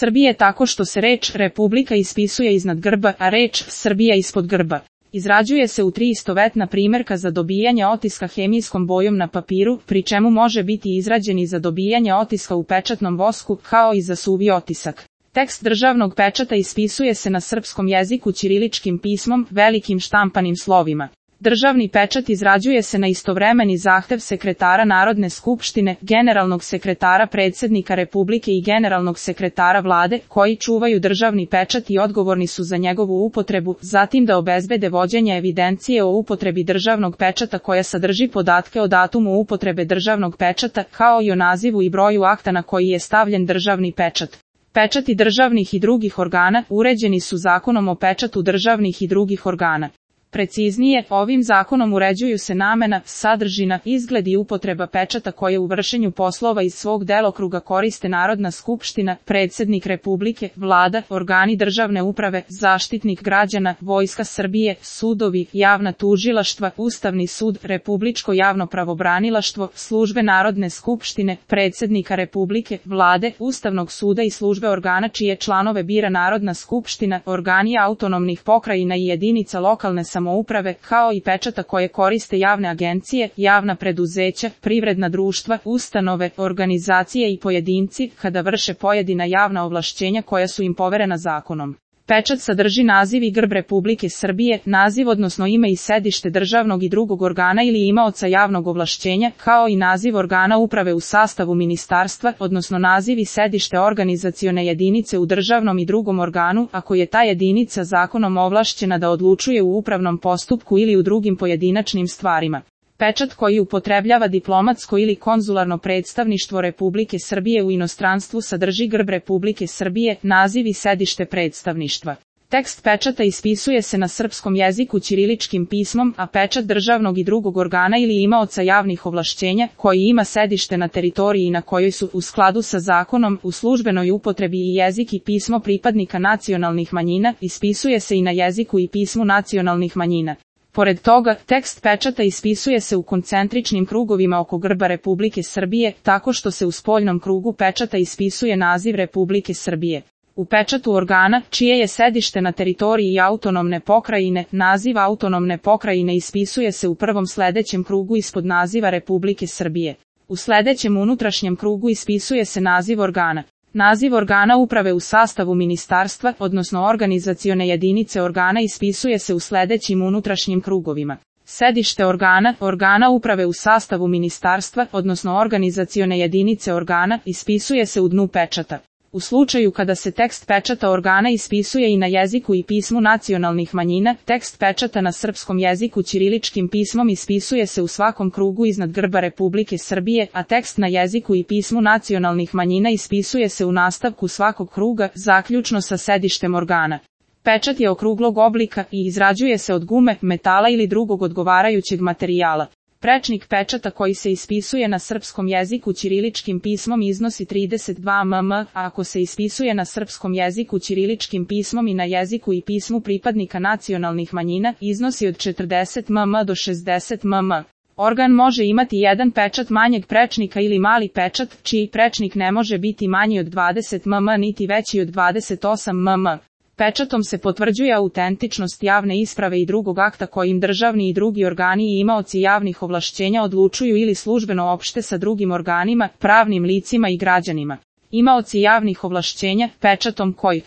Srbije tako što se reč Republika ispisuje iznad grba, a reč Srbija ispod grba. Izrađuje se u 3 istovetna primjerka za dobijanje otiska hemijskom bojom na papiru, pri čemu može biti izrađen i za dobijanje otiska u pečatnom vosku, kao i za suvi otisak. Tekst državnog pečata ispisuje se na srpskom jeziku ćiriličkim pismom, velikim štampanim slovima. Državni pečat izrađuje se na istovremeni zahtev sekretara Narodne skupštine, generalnog sekretara predsjednika Republike i generalnog sekretara vlade, koji čuvaju državni pečat i odgovorni su za njegovu upotrebu, zatim da obezbede vođenje evidencije o upotrebi državnog pečata koja sadrži podatke o datumu upotrebe državnog pečata, kao i o nazivu i broju akta na koji je stavljen državni pečat. Pečati državnih i drugih organa uređeni su Zakonom o pečatu državnih i drugih organa. Preciznije, ovim zakonom uređuju se namena, sadržina, izgled i upotreba pečata koje u vršenju poslova iz svog delokruga koriste Narodna skupština, predsjednik Republike, vlada, organi državne uprave, zaštitnik građana, Vojska Srbije, sudovi, javna tužilaštva, Ustavni sud, Republičko javno pravobranilaštvo, službe Narodne skupštine, predsjednika Republike, vlade, Ustavnog suda i službe organa čije članove bira Narodna skupština, organi autonomnih pokrajina i jedinica lokalne samouprave, kao i pečata koje koriste javne agencije, javna preduzeća, privredna društva, ustanove, organizacije i pojedinci, kada vrše pojedina javna ovlašćenja koja su im poverena zakonom. Pečat sadrži naziv i grb Republike Srbije, naziv odnosno ime i sedište državnog i drugog organa ili imaoca javnog ovlašćenja, kao i naziv organa uprave u sastavu ministarstva, odnosno naziv i sedište organizacione jedinice u državnom i drugom organu, ako je ta jedinica zakonom ovlašćena da odlučuje u upravnom postupku ili u drugim pojedinačnim stvarima. Pečat koji upotrebljava diplomatsko ili konzularno predstavništvo Republike Srbije u inostranstvu sadrži grb Republike Srbije, naziv i sedište predstavništva. Tekst pečata ispisuje se na srpskom jeziku ćiriličkim pismom, a pečat državnog i drugog organa ili imaoca javnih ovlašćenja, koji ima sedište na teritoriji na kojoj su, u skladu sa zakonom, u službenoj upotrebi i jezik i pismo pripadnika nacionalnih manjina, ispisuje se i na jeziku i pismu nacionalnih manjina. Pored toga, tekst pečata ispisuje se u koncentričnim krugovima oko grba Republike Srbije, tako što se u spoljnom krugu pečata ispisuje naziv Republike Srbije. U pečatu organa, čije je sedište na teritoriji autonomne pokrajine, naziv autonomne pokrajine ispisuje se u prvom sledećem krugu ispod naziva Republike Srbije. U sledećem unutrašnjem krugu ispisuje se naziv organa. Naziv organa uprave u sastavu ministarstva, odnosno organizacione jedinice organa ispisuje se u sledećim unutrašnjim krugovima. Sedište organa uprave u sastavu ministarstva, odnosno organizacione jedinice organa, ispisuje se u dnu pečata. U slučaju kada se tekst pečata organa ispisuje i na jeziku i pismu nacionalnih manjina, tekst pečata na srpskom jeziku ćiriličkim pismom ispisuje se u svakom krugu iznad grba Republike Srbije, a tekst na jeziku i pismu nacionalnih manjina ispisuje se u nastavku svakog kruga, zaključno sa sedištem organa. Pečat je okruglog oblika i izrađuje se od gume, metala ili drugog odgovarajućeg materijala. Prečnik pečata koji se ispisuje na srpskom jeziku ćiriličkim pismom iznosi 32 mm, a ako se ispisuje na srpskom jeziku ćiriličkim pismom i na jeziku i pismu pripadnika nacionalnih manjina, iznosi od 40 mm do 60 mm. Organ može imati jedan pečat manjeg prečnika ili mali pečat, čiji prečnik ne može biti manji od 20 mm niti veći od 28 mm. Pečatom se potvrđuje autentičnost javne isprave i drugog akta kojim državni i drugi organi i imaoci javnih ovlašćenja odlučuju ili službeno opšte sa drugim organima, pravnim licima i građanima. Imaoci javnih ovlašćenja, pečatom koji